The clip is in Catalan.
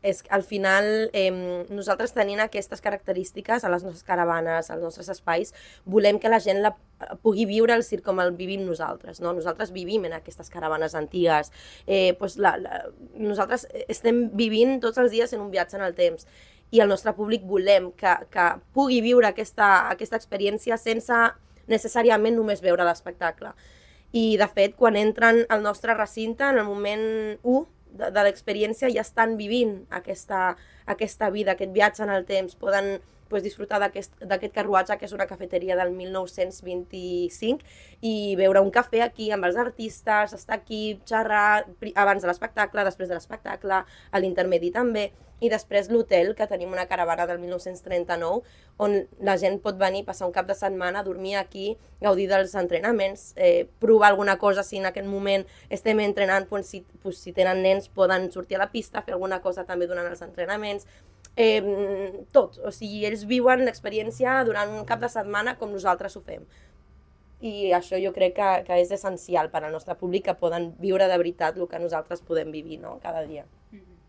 és que al final nosaltres tenint aquestes característiques a les nostres caravanes, als nostres espais, volem que la gent pugui viure el circ com el vivim nosaltres, no? Nosaltres vivim en aquestes caravanes antigues, nosaltres estem vivint tots els dies en un viatge en el temps i el nostre públic volem que pugui viure aquesta experiència sense necessàriament només veure l'espectacle. I, de fet, quan entren al nostre recinte, en el moment 1 de l'experiència, ja estan vivint aquesta vida, aquest viatge en el temps. Poden disfrutar d'aquest carruatge, que és una cafeteria del 1925, i beure un cafè aquí amb els artistes, estar aquí, xerrar abans de l'espectacle, després de l'espectacle, a l'intermedi també, i després l'hotel, que tenim una caravana del 1939, on la gent pot venir, passar un cap de setmana, dormir aquí, gaudir dels entrenaments, provar alguna cosa si en aquest moment estem entrenant, si tenen nens poden sortir a la pista, fer alguna cosa també durant els entrenaments, tot, o sigui, ells viuen l'experiència durant un cap de setmana com nosaltres ho fem. I això jo crec que és essencial per al nostre públic, que poden viure de veritat el que nosaltres podem vivir, no? Cada dia.